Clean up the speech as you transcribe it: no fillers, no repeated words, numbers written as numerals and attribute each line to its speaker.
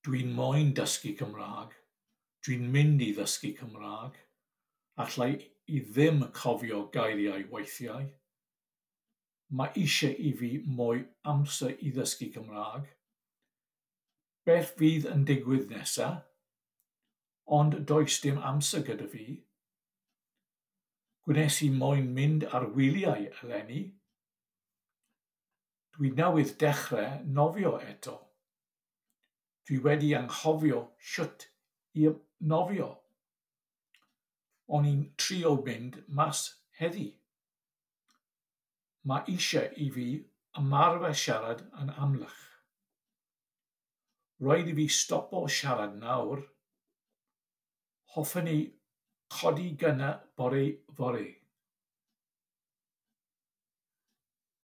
Speaker 1: Dwi'n moyn dysgu Cymraeg. Dwi'n mynd i ddysgu Cymraeg. Alla i ddim cofio geiriau weithiau. Mae eisiau i fi mwy amser i ddysgu Cymraeg. Beth fydd yn digwydd nesa? Ond does dim amser gyda fi. Gwnes i moyn mynd ar wyliau eleni. Dwi newydd dechrau nofio eto. Dwi wedi anghofio shwt i nofio. O'n i'n trio mynd mas heddi. Mae eisiau i fi ymarfer siarad yn amlach. Rhaid i fi stopo siarad nawr. Hoffwn i codi gynnar bore fory.